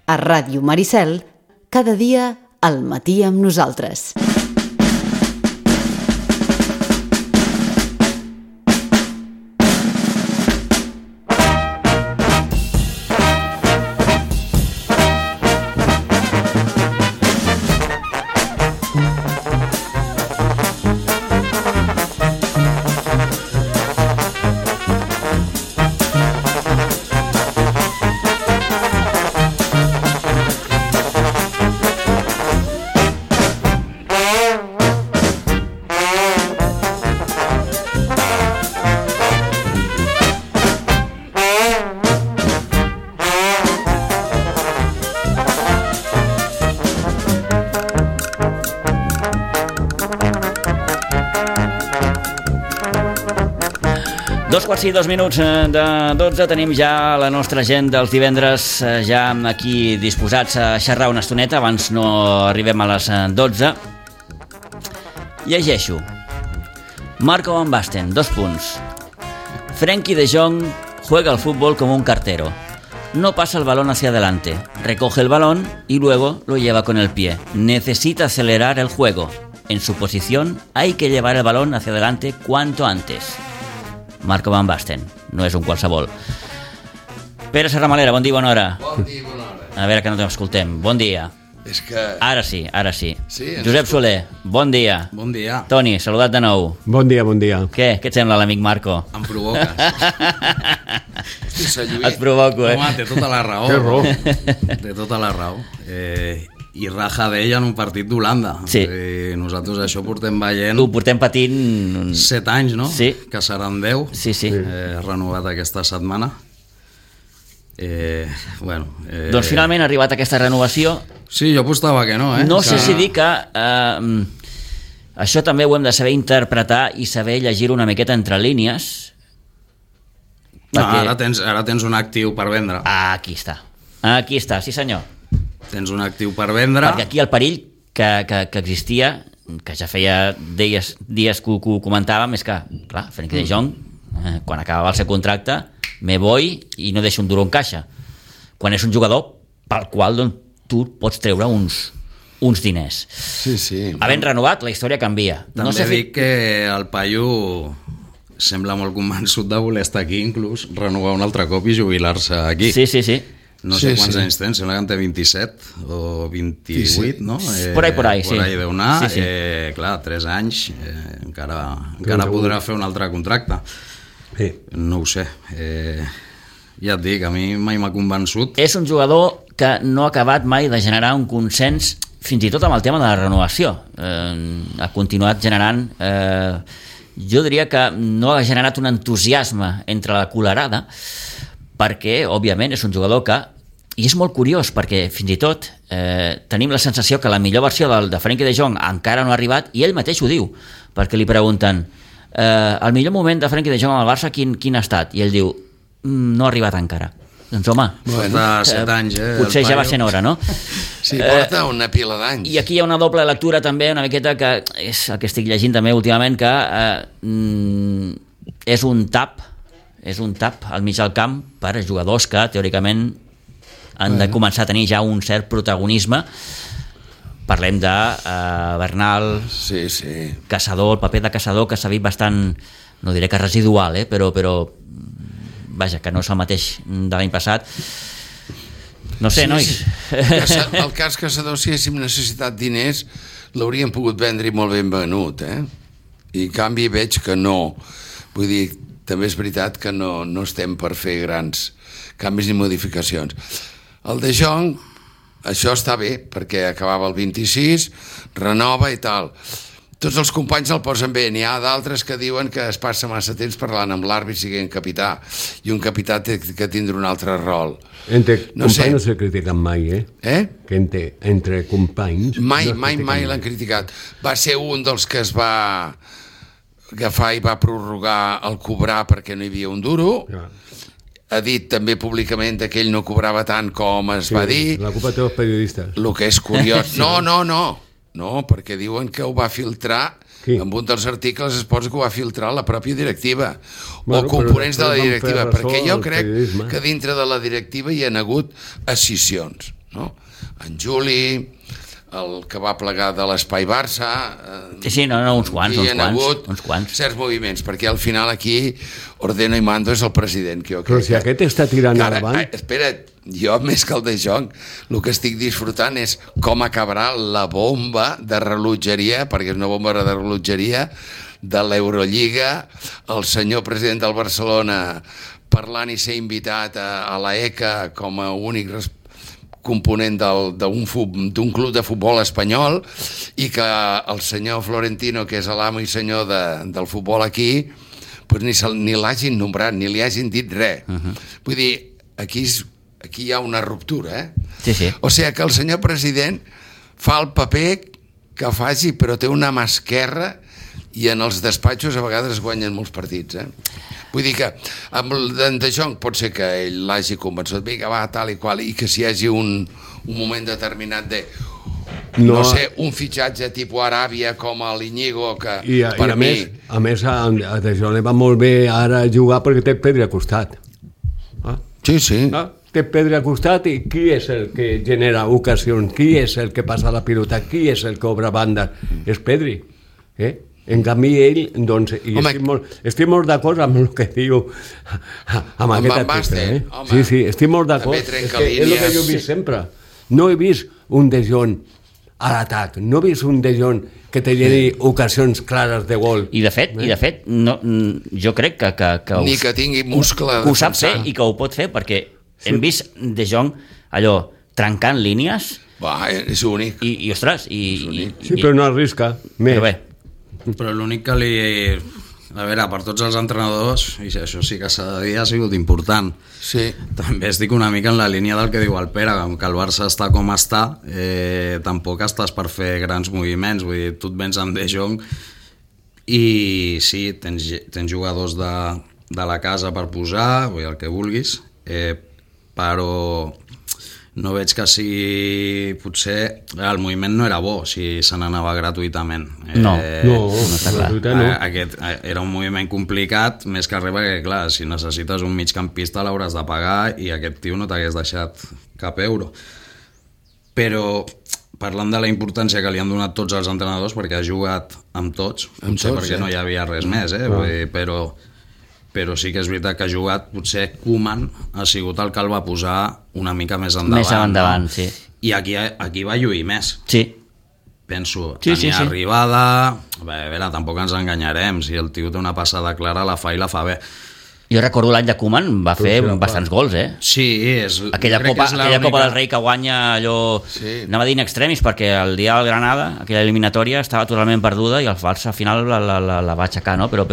A Ràdio Maricel, cada dia al matí amb nosaltres. Sí, 2 minuts de 12, tenim ja la nostra gent dels divendres ja aquí disposats a xerrar una estoneta, abans no arribem a les 12. Llegeixo. Marco Van Basten, 2 punts. Frenkie de Jong juega al fútbol como un cartero. No pasa el balón hacia adelante, recoge el balón y luego lo lleva con el pie. Necesita acelerar el juego. En su posición hay que llevar el balón hacia adelante cuanto antes. Marco Van Basten, no és un qualsevol. Pere Serramalera, bon dia, bona hora. Bon dia, bona hora. A veure que no t'escoltem. Bon dia. És que... Ara sí, ara sí. Sí, Josep Soler, bon dia. Bon dia. Toni, saludat de nou. Bon dia, bon dia. Què et sembla l'amic Marco? Em provoques. Hosti, Salluí. Et provoco, Home, té tota la raó. Té raó. Té tota la raó. I raja d'ell en un partit d'Holanda. Sí. Nosaltres això portem veient... Ho portem patint... 7 anys, no? Sí. Que seran 10. Sí, sí. Renovat aquesta setmana. Doncs finalment ha arribat aquesta renovació. Sí, jo apostava que no, No sé si dir que això també ho hem de saber interpretar i saber llegir una miqueta entre línies. No, Perquè... ara tens un actiu per vendre. Aquí està, sí senyor. Tens un actiu per vendre. Perquè aquí el perill que existia, que ja feia dies que ho comentàvem, és que, clar, Frenkie de Jong, quan acabava el seu contracte, me voy i no deixo un duro en caixa. Quan és un jugador pel qual doncs, tu pots treure uns diners. Sí, sí. Havent renovat, la història canvia. També dic que el paio sembla molt convençut de voler estar aquí, inclús renovar un altre cop i jubilar-se aquí. Sí. No sé quants anys tens, sembla que en té 27 o 28, no? Por ahí, sí. Por ahí deu anar. Sí. Clar, 3 anys, encara podrà fer un altre contracte. Sí. No ho sé. Ja et dic, a mi mai m'ha convençut. És un jugador que no ha acabat mai de generar un consens, fins i tot amb el tema de la renovació. Ha continuat generant... jo diria que no ha generat un entusiasme entre la colerada, perquè, òbviament, és un jugador que... I és molt curiós, perquè fins i tot tenim la sensació que la millor versió de Frenkie de Jong encara no ha arribat, i ell mateix ho diu, perquè li pregunten el millor moment de Frenkie de Jong al Barça quin ha estat? I ell diu, no ha arribat encara. Doncs home, porta 7 anys, potser ja va sent hora, no? Sí, porta una pila d'anys. I aquí hi ha una doble lectura també, una miqueta, que és el que estic llegint també últimament, que és un tap al mig del camp per a jugadors que teòricament han de començar a tenir ja un cert protagonisme. Parlem de Bernal, sí. Caçador, el paper de Caçador que s'ha vist bastant, no diré que residual, però vaja, que no és el mateix de l'any passat. No sé, nois. El cas Caçador, si haguéssim necessitat diners, l'hauríem pogut vendre i molt ben venut, I en canvi veig que no. Vull dir, també és veritat que no estem per fer grans canvis ni modificacions. El de Jong, això està bé, perquè acabava el 26, renova i tal. Tots els companys el posen bé, n'hi ha d'altres que diuen que es passa massa temps parlant amb l'àrbit siguent capità, i un capità té que tindre un altre rol. Entre companys no se critiquen mai, Que entre companys... Mai l'han criticat. Va ser un dels que es va agafar i va prorrogar el cobrar perquè no hi havia un duro. Ja. Ha dit també públicament que ell no cobrava tant com es va dir. La culpa té els periodistes. El que és curiós... No, perquè diuen que ho va filtrar... En un dels articles es posa que ho va filtrar la pròpia directiva, o components de la directiva, perquè jo crec que dintre de la directiva hi ha hagut escissions. no? En Juli, el que va plegar de l'Espai Barça... Sí, uns quants. Certs moviments, perquè al final aquí ordeno i mando és el president. Que però si aquest està tirant endavant... Espera't, jo més que el de Jong, el que estic disfrutant és com acabarà la bomba de rellotgeria, perquè és una bomba de rellotgeria, de l'Eurolliga, el senyor president del Barcelona parlant i ser invitat a la ECA com a únic component d'un club de futbol espanyol, i que el senyor Florentino, que és l'amo i senyor del futbol aquí, pues ni l'hagin nombrat, ni li hagin dit res. Vull dir, aquí hi ha una ruptura, Sí. O sigui que el senyor president fa el paper que faci, però té una mà esquerra, i en els despatxos a vegades guanyen molts partits, Vull dir que amb el de Jong pot ser que ell l'hagi convençut, vinga, va, tal i qual, i que si hi hagi un moment determinat de, no sé, un fitxatge tipus Aràbia com a l'Iñigo, que per mi... A més, a De Jong li va molt bé ara jugar perquè té Pedri al costat. Sí. Té Pedri al costat, i qui és el que genera ocasions? Qui és el que passa la pilota? Qui és el que obre banda? És Pedri. En canvi, ell, doncs, i estic molt d'acord amb el que diu amb aquest article. Sí, estic molt d'acord. És el que jo he vist sempre. No he vist un De Jong a l'atac, no he vist un De Jong que te lleni ocasions clares de gol. I de fet, no, jo crec que ni que tingui muscle que ho sap fer i que ho pot fer, perquè hem vist De Jong allò trencant línies. Va, és únic. I ostres, sí, però no arrisca més. Però bé, però l'únic que li... A veure, per tots els entrenadors, i això sí que s'ha de dir, ha sigut important. Sí. També estic una mica en la línia del que diu el Pere, que el Barça està com està, tampoc estàs per fer grans moviments, vull dir, tu et vens amb De Jong i sí, tens jugadors de la casa per posar, vull dir, el que vulguis, però no veig que si potser el moviment no era bo si se n'anava gratuïtament. No està clar. Aquest era un moviment complicat, més que res perquè, clar, si necessites un migcampista l'hauràs de pagar i aquest tio no t'hagués deixat cap euro. Però parlant de la importància que li han donat tots els entrenadors, perquè ha jugat amb tots, potser perquè no hi havia res més, però sí que és veritat que ha jugat, potser Koeman ha sigut el que el va posar una mica més endavant. Més endavant, sí. I aquí va lluir més. Sí. Penso, tenia arribada... A veure, tampoc ens enganyarem, si el tio té una passada clara, la fa i la fa bé. Jo recordo l'any de Koeman, va fer bastants gols, Sí, és... Aquella Copa del Rei que guanya allò... Sí. Anava a dir in extremis, perquè el dia del Granada, aquella eliminatòria, estava totalment perduda i el Barça al final la va aixecar, no? Però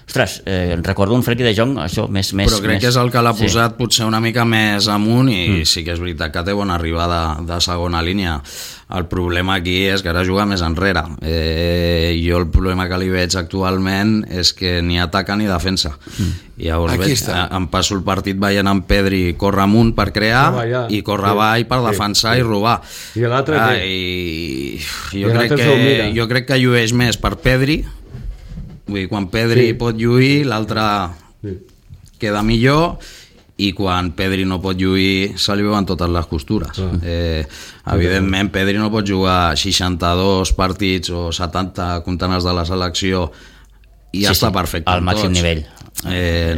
ostres, recordo un Frenkie de Jong, això, més... Però crec que és el que l'ha posat potser una mica més amunt i sí que és veritat que té bona arribada de segona línia. El problema aquí és que ara juga més enrere. Jo el problema que li veig actualment és que ni ataca ni defensa. I llavors em passo el partit veient en Pedri córrer amunt per crear i córrer avall per defensar i robar. I l'altre jo crec que llueix més per Pedri. Vull dir, quan Pedri pot lluir, l'altre queda millor, i quan Pedri no pot lluir se li veuen totes les costures. Evidentment Pedri no pot jugar 62 partits o 70 comptant els de la selecció i ja està perfecte al màxim nivell.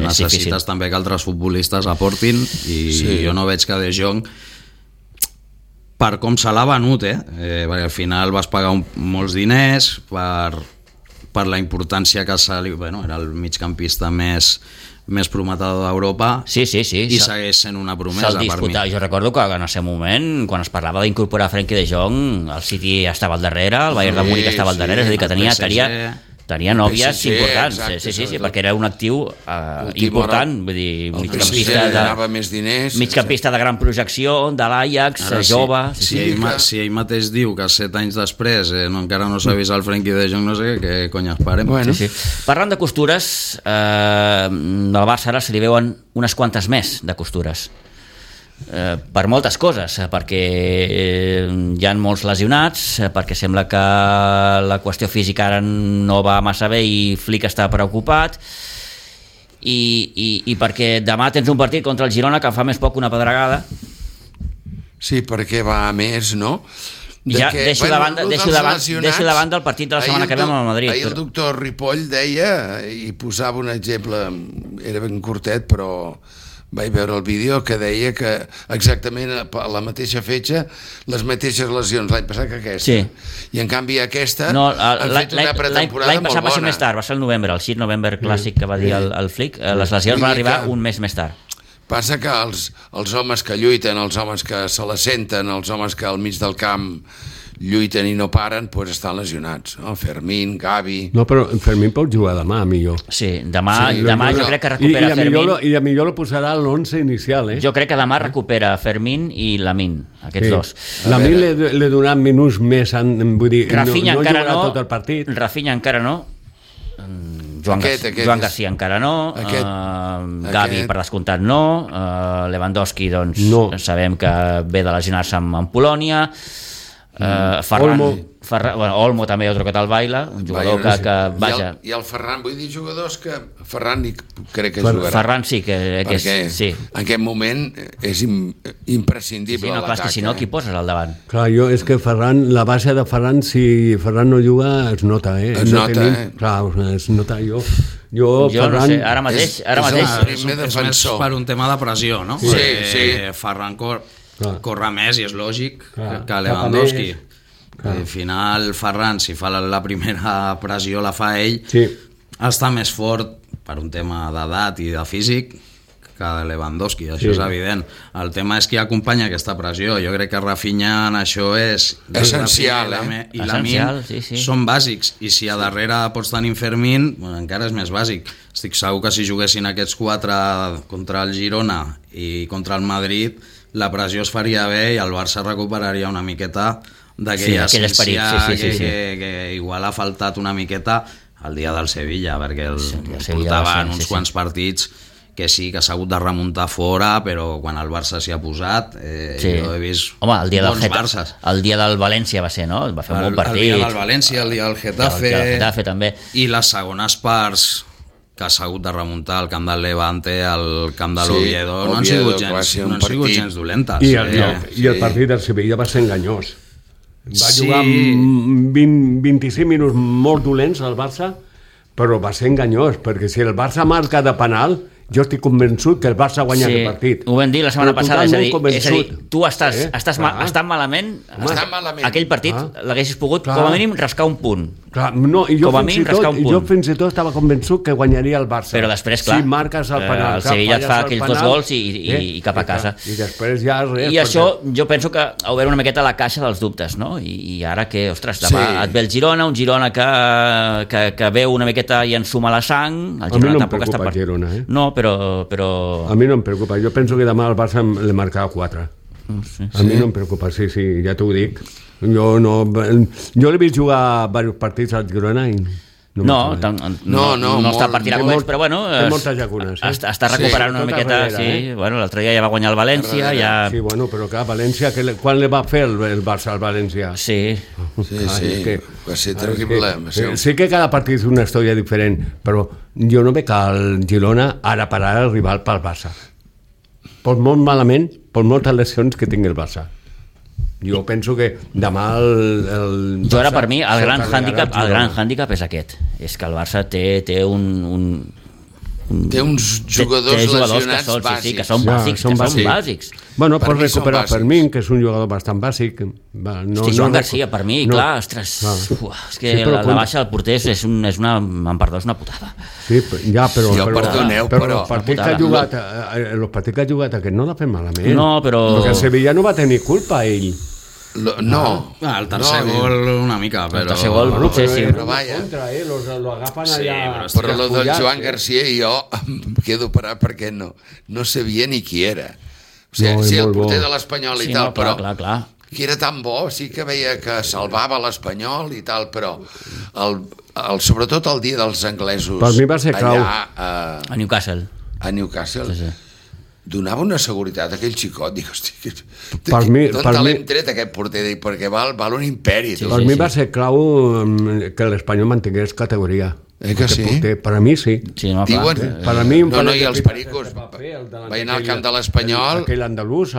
Necessites també que altres futbolistes aportin i jo no veig que De Jong, per com se l'ha venut, perquè al final vas pagar molts diners per la importància que era el migcampista més prometedor d'Europa i segueix sent una promesa per mi. Jo recordo que en el seu moment, quan es parlava d'incorporar Frenkie de Jong, el City estava al darrere, el Bayern de Múnich estava al darrere, és a dir, que tenia nòvies importants, perquè era un actiu important, vull dir, migcampista de gran projecció, de l'Ajax, jove... Si ell mateix diu que 7 anys després encara no s'ha vist el Frenkie de Jong, no sé què cony esperem. Parlant de costures, del Barça ara se li veuen unes quantes més de costures. Per moltes coses, perquè hi ha molts lesionats, perquè sembla que la qüestió física ara no va massa bé i Flick està preocupat, i perquè demà tens un partit contra el Girona que fa més poc una pedregada Sí, perquè va a més, no? Ja deixo de banda el partit de la setmana que ve amb el Madrid. Ahir el doctor Ripoll deia, i posava un exemple, era ben curtet, però vaig veure el vídeo, que deia que exactament a la mateixa fetge, les mateixes lesions l'any passat que aquesta. Sí. I en canvi aquesta han fet una pretemporada molt bona. L'any passat va ser més tard, va ser el novembre, el 6 novembre clàssic que va dir el Flick. Les lesions van arribar un mes més tard. Passa que els homes que lluiten, els homes que se la senten, els homes que al mig del camp lluiten i no paren, doncs estan lesionats. No? Fermín, Gavi... No, però Fermín pot jugar demà, millor. Sí, demà jo crec que recupera Fermín. I a millor lo posarà a l'11 inicial, Jo crec que demà recupera Fermín i Lamín, aquests dos. Lamín li donaran minuts més, vull dir, Rafinha no encara jugarà tot el partit. Rafinha encara no. Joan García encara no, Gavi per descomptat no, Lewandowski doncs sabem que ve de lesionar-se amb Polònia, Olmo també ha trucat al Baila, un jugador que vaja. I el Ferran, vull dir jugadors que Ferran crec que jugarà. Ferran sí que sí. En aquest moment és imprescindible l'atac. Si no, qui poses al davant? Clar, és que Ferran, la base de Ferran, si Ferran no juga, es nota, Es nota, Clar, es nota jo Ferran, no sé, ara mateix és més per un tema de pressió, no? Sí. Ferran corre més i és lògic que Lewandowski. Al final Ferran, si fa la primera pressió la fa ell, està més fort per un tema d'edat i de físic que Lewandowski, això és evident. El tema és qui acompanya aquesta pressió. Jo crec que Rafinha en això és essencial, i Lamín són bàsics, i si a darrere pots tenir Fermín, encara és més bàsic. Estic segur que si juguessin aquests 4 contra el Girona i contra el Madrid, la pressió es faria bé i el Barça recuperaria una miqueta d'aquella essència que igual ha faltat una miqueta el dia del Sevilla, perquè portaven uns quants partits que sí, que s'ha hagut de remuntar fora, però quan el Barça s'hi ha posat jo he vist bons Barças. El dia del València va ser, no? Va fer un bon partit. El dia del València, el dia del Getafe també. I les segones parts que s'ha hagut de remuntar al camp del Levante, al camp de l'Oviedo, no han sigut gens dolentes. I el partit del Sevilla va ser enganyós. Va jugar 25 minuts molt dolents al Barça, però va ser enganyós, perquè si el Barça marca de penal, jo estic convençut que el Barça guanya aquest partit. Ho vam dir la setmana passada, és a dir, tu estàs malament, aquell partit l'haguessis pogut com a mínim rascar un punt. Jo fins i tot estava convençut que guanyaria el Barça. Però després, clar, si marques el penal, el Sevilla et fa aquells 2 gols i cap a casa. I després ja res. I això jo penso que ha obert una miqueta la caixa dels dubtes, no? I ara que, ostres, demà et ve el Girona, un Girona que veu una miqueta i ensuma la sang. El Girona tampoc està per Girona, No, però... A mi no em preocupa, jo penso que demà el Barça le marcarà 4. A mi no em preocupa, sí, ja t'ho dic. Jo l'he vist jugar diversos partits al Girona i no està per tirar coets, però bueno, està recuperant una miqueta. L'altre dia ja va guanyar el València. Sí, però clar, València, quan li va fer el Barça al València? Sí, va ser terrible. Sí que cada partit és una història diferent, però jo no veig el Girona ara per ara rival pel Barça. Pot molt malament, per moltes lesions que tingui el Barça. Jo penso que demà el jo ara per mi el gran hàndicap és aquest, és que el Barça té uns jugadors lesionats bàsics. Que són bàsics. Bueno, pots recuperar Fermín, que és un jugador bastant bàsic. Joan García, per mi, clar, ostres, és que la baixa del porter és una putada. Sí, ja, però el partit que ha jugat aquest no l'ha fet malament. No, però... Perquè el Sevilla no va tenir culpa, ell. No, el tercer gol una mica, però... El tercer gol, potser sí. Però vaja. Lo agafen allà... Però lo del Joan García jo em quedo parat perquè no sabia ni qui era. O sigui, sí, el porter de l'Espanyol i tal, però que era tan bo, sí que veia que salvava l'Espanyol i tal, però sobretot el dia dels anglesos per mi va ser clau a Newcastle. Donava una seguretat a aquell xicot, dic, hosti, d'on l'hem tret aquest porter, perquè val un imperi. Per mi va ser clau que l'Espanyol mantingués categoria. Que sí? Per a mi sí. Diuen, per a mi i els pericos va anar al camp de l'Espanyol, aquell andalús,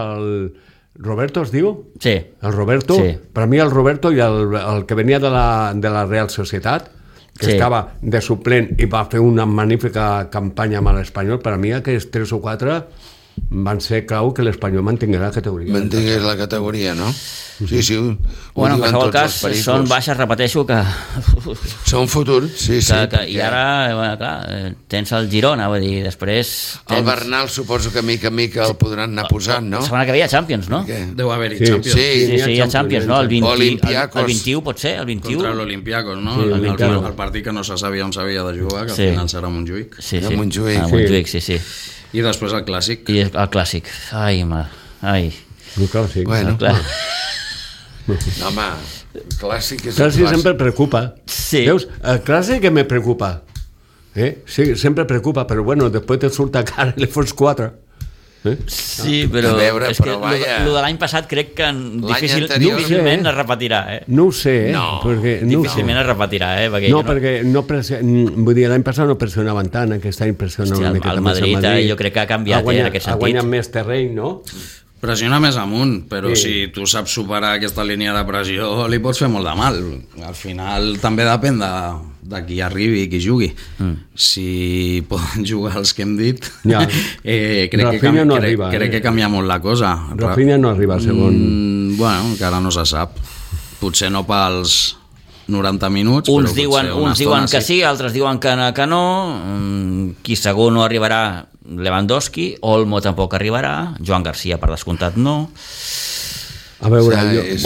Roberto es diu? Sí. El Roberto? Sí. Per mi el Roberto i el que venia de la Real Societat, que Sí. estava de suplent i va fer una magnífica campanya amb l'Espanyol, per a mi aquests 3 o 4 van ser clau que l'Espanyol mantingués la categoria. Mantingués la categoria, no? Sí, sí. Bueno, en diuen qualsevol tots cas, els pericos. són baixes, repeteixo, que Són futur, sí, sí. I ara, bueno, clar, tens el Girona, vull dir, després... El Bernal suposo que mica en mica el podran anar posant, no? La setmana que ve hi ha Champions, no? Què? Deu haver-hi Sí. Champions. Sí. Sí, hi ha Champions, no? El 20, Olympiacos. el 21, pot ser? El 21? Contra l'Olympiacos, no? Sí, Olympiacos. El partit que no se sabia on s'havia de jugar, que Sí. al final serà Montjuïc. Sí, A sí. Montjuïc. A Montjuïc, sí, sí. I després el Clàssic. I el Clàssic. Ai, ai. No, clar, sí. Bueno, Clar. no, home, el clàssic és Clàssic el clàssic. sempre preocupa. Sí. Veus? El clàssic que me preocupa. Sí, sempre preocupa, però bueno, després te surt a cara i li fots 4. Sí, però A veure, és que però vaja. lo de l'any passat crec que anterior- difícilment No ho sé, es repetirà, No ho sé, No, perquè no ho sé. Difícilment es repetirà, perquè No, jo perquè no vull dir, l'any passat no pressionaven tant, aquest any pressiona Hòstia, una miqueta el més Madrid, jo crec que ha canviat, en aquest Ha sentit. guanyat més terreny, no? Pressiona més amunt, però Sí. si tu saps superar aquesta línia de pressió li pots fer molt de mal. Al final també depèn de qui arribi i qui jugui. Si poden jugar els que hem dit, Ja. Rafinha no arriba, crec que canvia molt la cosa. Rafinha no arriba al segon. Bueno, encara no se sap. Potser no pels 90 minuts, Uns però diuen, potser una uns diuen estona que sí, altres diuen que no. Qui segur no arribarà, Lewandowski. Olmo tampoc arribarà. Joan Garcia, per descomptat, no. A veure, És-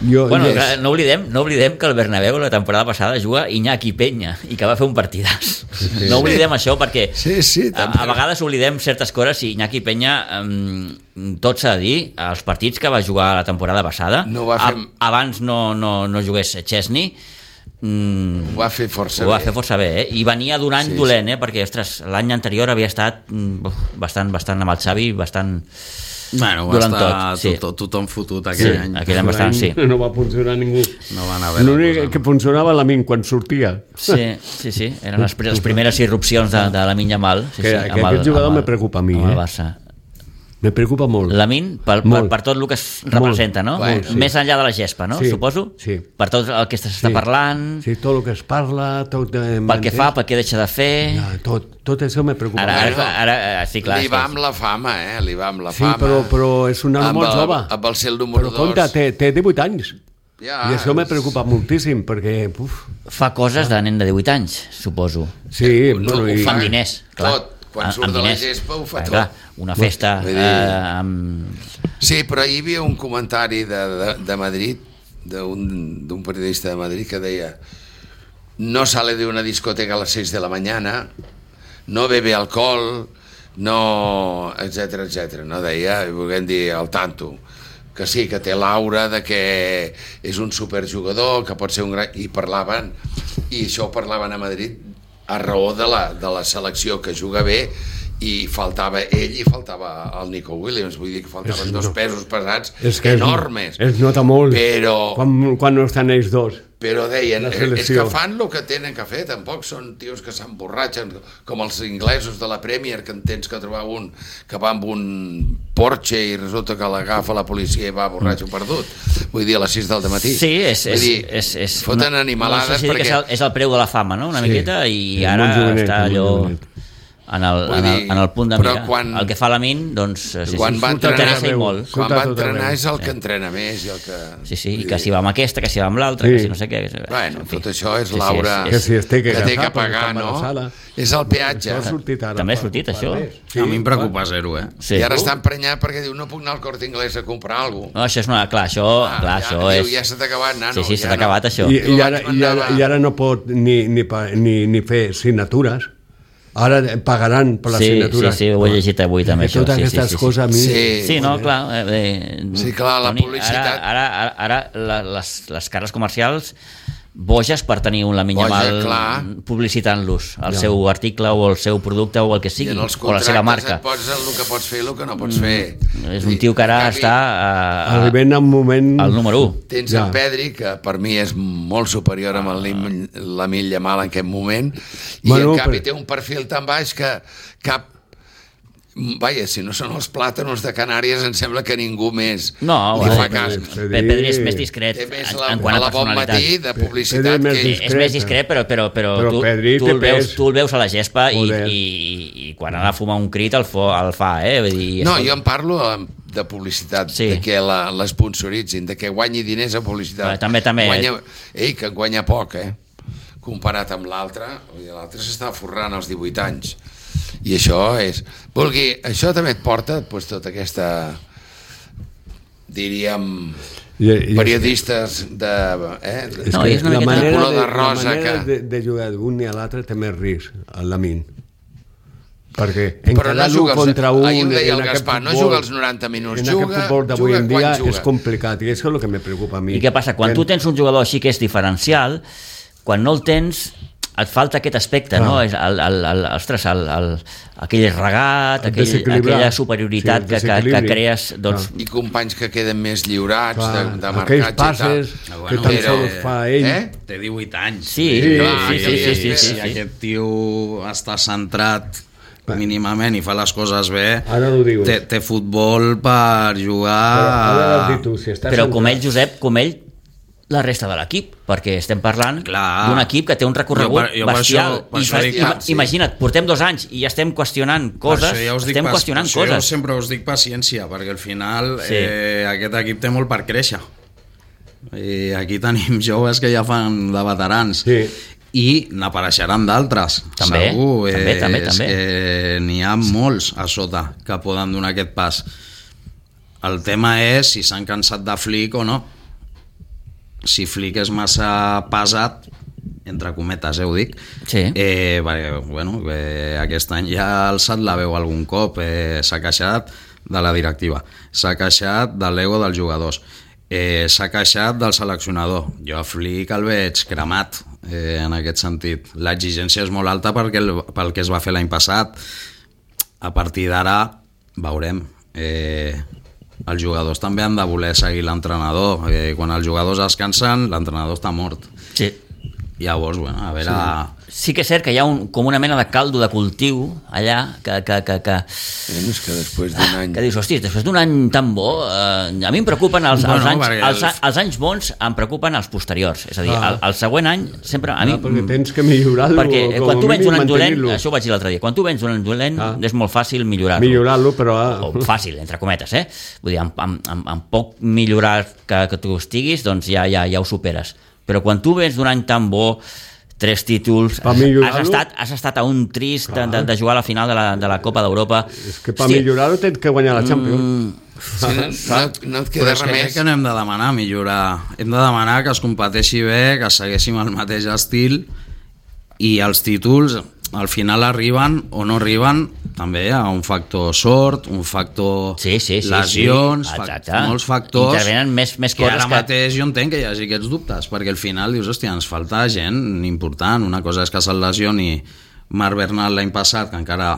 Bueno, yes. no oblidem que el Bernabéu la temporada passada juga Iñaki Peña i que va fer un partidàs. No oblidem això perquè Sí, també. a vegades oblidem certes coses i Iñaki Peña, tot s'ha de dir, els partits que va jugar la temporada passada, No va fer- abans no jugués Chesney, Ho va fer força ho va bé. fer força bé, i venia d'un any Sí, dolent, perquè ostres, l'any anterior havia estat bastant amb el Xavi, bastant... Bueno, va Durant estar tot, sí. tothom fotut Sí, aquell any. aquell any bastant, sí. No va funcionar ningú. No van haver L'únic que funcionava la Min quan sortia. Sí, eren les primeres irrupcions de la Yamal. Sí, Que aquest jugador me preocupa a mi, amb el eh? Barça. Me preocupa molt. Lamin, per tot el que es representa, no? Molt, sí. Més enllà de la gespa, no? Sí, Suposo? sí. Per tot el que s'està parlant, Sí, tot el que es parla, tot... pel que fa, pel que deixa de fer... Ja, tot això me preocupa. Ara, sí, clar. Li va amb la fama, Li va amb la Sí, fama. però és un home molt jove. Amb el ser el número Però compte, 2. té 18 anys. Ja, I això me preocupa moltíssim, perquè... Fa coses de nen de 18 anys, suposo. Sí, No, bueno, ho i... Fan diners, clar. Tot. Quan surt Amb de la diners. gespa ho fa tot. Clar, una festa Vull dir- amb... Sí, però hi havia un comentari de Madrid, d'un periodista de Madrid, que deia: no sale de una discoteca a las 6 de la mañana, no bebe alcohol, no... etcètera. No deia, volguem dir, al tanto, que sí, que té l'aura de que és un superjugador, que pot ser un gran... I parlaven, i això ho parlaven a Madrid a raó de la selecció, que juga bé, i faltava ell i faltava el Nico Williams, vull dir que faltaven dos pesos pesats enormes. Es nota molt però, quan no estan ells dos. però deien, La és selecció. que fan el que tenen que fer, tampoc són tios que s'emborratxen, com els inglesos de la Premier, que en tens que trobar un que va amb un Porsche i resulta que l'agafa la policia i va borratxo perdut. Vull dir, a les 6 del matí. Sí, Vull dir, foten animalades no sé si perquè... és el preu de la fama, no? Una Sí. miqueta, i Sí, ara molt jovenet, està molt allò jovenet. en el punt de però mira. quan- El que fa Lamin, doncs, sí, quan va surta entrenar, interessa i molt. quan Surta va tot entrenar arreu. és el que entrena més i el que... Sí, vull i que dir, si va amb aquesta, que si va amb l'altra, Sí. que si no sé què... Bueno, en fi. tot això és Sí, sí, l'aura Que si es té que que té que agafar perquè pagar, està no? embarassada. És el peatge. Això ha sortit ara. També ha sortit, això? Sí, A mi em preocupa zero, Sí. I ara està emprenyat perquè diu, no puc anar al Corte Inglés a comprar alguna cosa. No, això és una... Clar, això és... Ja se t'ha acabat, nano. Sí, se ja t'ha acabat, això. I ara no pot ni fer signatures. Ara pagaran per les Sí, signatures. sí, ho he llegit avui també, I totes això. Sí, aquestes sí, sí, coses a mi... Sí. Sí, no, clar. Sí, clar, la Toni, publicitat- Ara les cares comercials boges per tenir un Lamine Yamal clar. publicitant-los, el seu article o el seu producte o el que I sigui, en els o la seva marca. et pots el que pots fer i el que no pots fer. És un tio que ara En canvi, està Arribem a un moment... al número 1. Tens Ja. el Pedri, que per mi és molt superior amb el Lamine Yamal en aquest moment, i Bueno, en canvi però- té un perfil tan baix que Vaja, si no són els plàtanos de Canàries, em sembla que ningú més No, li fa cas. Pedri és més discret Té més en quant a la bon personalitat. matí de publicitat Pedri que... És més discret, però Pedri tu té el veus, pes. tu el veus a la gespa Joder. i quan ha de fumar un crit el fa, Vull dir, No, jo en parlo de publicitat, Sí. de que l'esponsoritzin, de que guanyi diners a publicitat. També. Que guanya poc, comparat amb l'altre. L'altre s'està forrant als 18 anys. I això això també et porta tota aquesta, diríem, periodistes de No, és una la miqueta manera, color de la rosa manera que... de jugar d'un i a l'altre té més risc, el Lamin. Perquè Però no encarar juga l'1 contra 1... ahir ho deia el en aquest Gaspar, no futbol- juga els 90 minuts, en aquest futbol d'avui en dia quan juga. és complicat, i això és el que me preocupa a mi. I què passa? Quan tu tens un jugador així que és diferencial, quan no el tens et falta aquest aspecte, no? És aquell regat, aquella superioritat que crees, doncs... I companys que queden més lliurats de aquells marcatge passes i tal. que tan sols fa ell. Té 18 anys. Sí, Si aquest tio està centrat mínimament i fa les coses bé, Ara ho dius. té futbol per jugar... Però com ell, Josep, la resta de l'equip, perquè estem parlant d'un equip que té un recorregut bestial. Imagina't, portem 2 anys i ja estem qüestionant coses, jo sempre us dic paciència, perquè al final aquest equip té molt per créixer. I aquí tenim joves que ja fan de veterans. I n'apareixeran d'altres. També, segur, també. És que n'hi ha molts a sota que poden donar aquest pas. El tema és si s'han cansat de Flick o no. Si Flick és massa pesat, entre cometes, ho dic, perquè, aquest any ja ha alçat la veu algun cop, s'ha queixat de la directiva, s'ha queixat de l'ego dels jugadors, s'ha queixat del seleccionador. Jo a Flick el veig cremat, en aquest sentit. L'exigència és molt alta pel que es va fer l'any passat. A partir d'ara veurem. Els jugadors també han de voler seguir l'entrenador. Quan els jugadors es cansen, l'entrenador està mort. Sí. Llavors, a veure... Sí que és cert que hi ha com una mena de caldo de cultiu allà que És que després d'un any... Que dius, hosti, després d'un any tan bo, a mi em preocupen els anys bons, em preocupen els posteriors. És a dir, el següent any sempre... Perquè tens que millorar-lo, perquè quan tu vens un any dolent, mantenir-lo. això ho vaig dir l'altre dia, quan tu vens un any dolent és molt fàcil millorar-lo. Millorar-lo, però... O fàcil, entre cometes, Vull dir, amb poc millorar que tu estiguis, doncs ja ho superes. Però quan tu vens d'un any tan bo, 3 títols, has estat a un trist de jugar a la final de la Copa d'Europa. És que per millorar-ho tens que guanyar la Champions. No et queda res més. Que no hem de demanar millorar. Hem de demanar que es competeixi bé, que segueixin el mateix estil, i els títols al final arriben o no arriben, també hi ha un factor sort, un factor lesions, molts factors. Intervenen més que coses ara mateix jo entenc que hi hagi aquests dubtes, perquè al final dius, hòstia, ens falta gent important. Una cosa és que se'l lesioni Marc Bernal l'any passat, que encara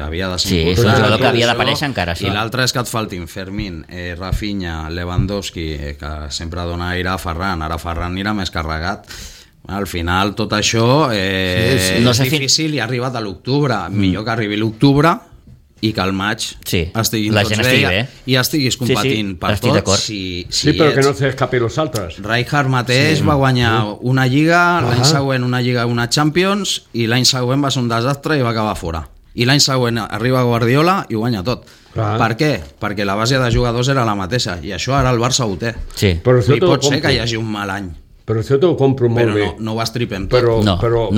havia de ser important. Sí, és un jugador que havia d'aparèixer encara. I l'altre és que et faltin Fermín, Rafinha, Lewandowski, que sempre dona aire a Ferran. Ara Ferran anirà més carregat. Al final tot això és difícil i ha arribat a l'octubre. Millor que arribi l'octubre i que al maig estiguin tots bé i estiguis competint per tots. Sí, però que no s'escapi els altres. Rijkaard mateix va guanyar una lliga, l'any següent una lliga i una Champions, i l'any següent va ser un desastre i va acabar fora. I l'any següent arriba Guardiola i ho guanya tot. Per què? Perquè la base de jugadors era la mateixa, i això ara el Barça ho té. I pot ser que hi hagi un mal any. Però això t'ho compro molt bé. Però no ho estripem tot. Però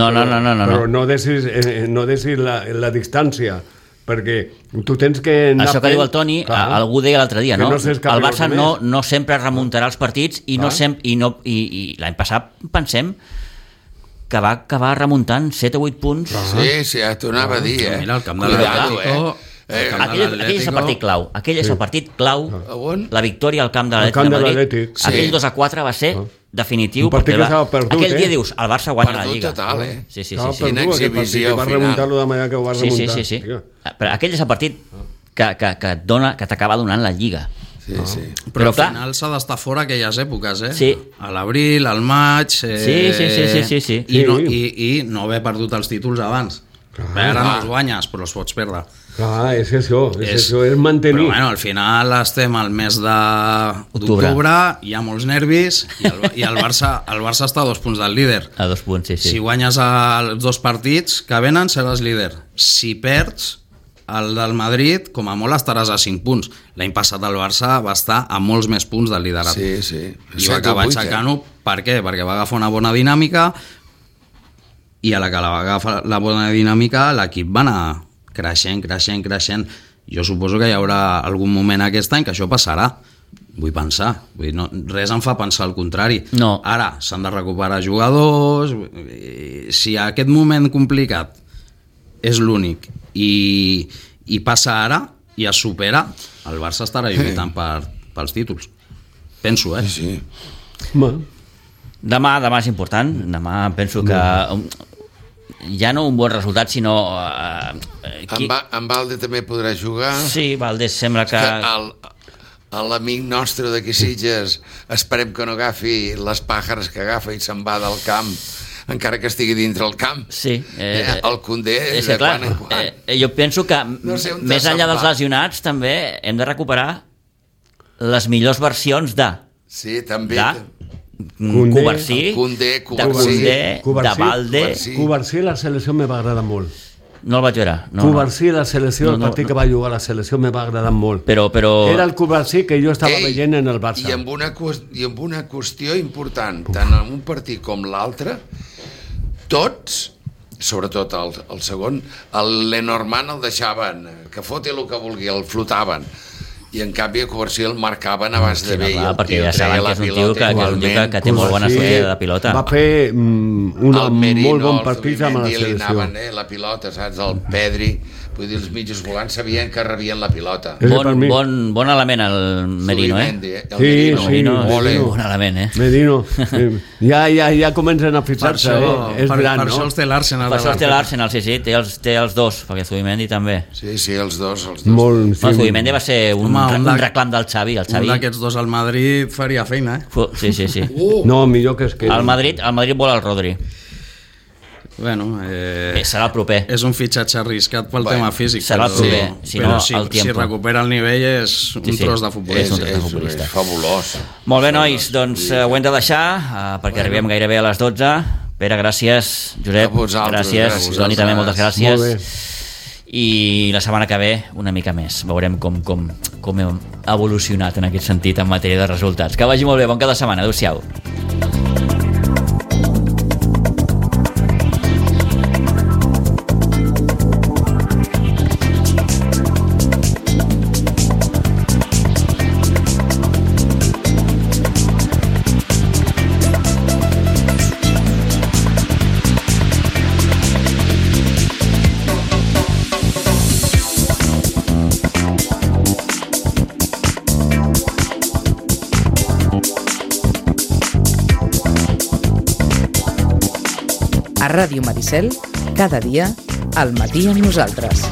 no deixis la distància, perquè tu tens que anar... Això que diu el Toni, algú deia l'altre dia, no? El Barça no sempre remuntarà els partits i l'any passat pensem que va acabar remuntant 7 o 8 punts. Sí, ja t'ho anava a dir, Mira, el camp de l'Atlético... Aquell és el partit clau. Aquell és el partit clau. La victòria al camp de l'Atlètic. Aquell 2-4 va ser definitiu. Aquell dia dius, el Barça guanya la Lliga. Sí. Quina exhibició va remuntar-lo de manera que ho va remuntar. Sí. Però aquell és el partit que t'acaba donant la Lliga. Però al final s'ha d'estar fora aquelles èpoques, a l'abril, al maig, i no haver perdut els títols abans. Ara no els guanyes, però els pots perdre. Clar, és això, és mantenir. Però bueno, al final estem al mes d'octubre, hi ha molts nervis i el Barça està a 2 punts del líder. A 2 punts, sí. Si guanyes els 2 partits que venen, seràs líder. Si perds el del Madrid, com a molt estaràs a 5 punts. L'any passat el Barça va estar a molts més punts del liderat. Sí. I va acabar aixecant-ho. Per què? Perquè va agafar una bona dinàmica i a la que va agafar la bona dinàmica l'equip va anar creixent. Jo suposo que hi haurà algun moment aquest any que això passarà. Vull pensar. Res em fa pensar el contrari. No. Ara s'han de recuperar jugadors. Si aquest moment complicat és l'únic i passa ara i es supera, el Barça estarà lluitant pels títols. Penso, Sí. Demà és important. Demà penso que ja no un bon resultat, sinó... En Valde també podrà jugar. Sí, Valde sembla que... L'amic nostre d'aquí Sitges, esperem que no agafi les pàjares que agafa i se'n va del camp, encara que estigui dintre el camp. Sí. El Condé és que, clar, jo penso que més enllà dels lesionats també hem de recuperar les millors versions de... Sí, també. Covarsí, Condé, de Valde. Covarsí la selecció me va agradar molt. No el vaig veure. Covarsí la selecció, el partit que va jugar a la selecció me va agradar molt. Però... Era el Covarsí que jo estava veient en el Barça. I amb una qüestió important, tant en un partit com l'altre, tots, sobretot el segon, el Lenormand el deixaven, que foti el que vulgui, el flotaven. I en canvi a Covarsí el marcaven abans de bé. Perquè ja saben que és un tio que té molt bona sortida de pilota. Va fer un molt bon partit amb la selecció. La pilota, saps? El Pedri, vull dir, els mitjos volants sabien que rebien la pilota. Bon element el Merino, Merino, bon element, Merino, ja comencen a fixar-se, és gran, no? Per això els té l'Arsenal. Per això els té l'Arsenal, sí, té els dos, perquè Zubimendi també. Sí, els dos. Zubimendi va ser un reclam del Xavi. Un d'aquests dos al Madrid faria feina, Sí. No, millor que es quedi. El Madrid vol el Rodri. Bueno, serà el proper. És un fitxatge arriscat pel tema físic. Serà el proper. Si recupera el nivell és un tros de futbolista. És fabulós. Molt bé, nois, doncs ho hem de deixar perquè arribem gairebé a les 12. Pere, gràcies. Josep, gràcies. Toni, també moltes gràcies. Molt bé. I la setmana que ve una mica més. Veurem com hem evolucionat en aquest sentit en matèria de resultats. Que vagi molt bé, bon cap de setmana. Adéu-siau. A Ràdio Maricel, cada dia, al matí amb nosaltres.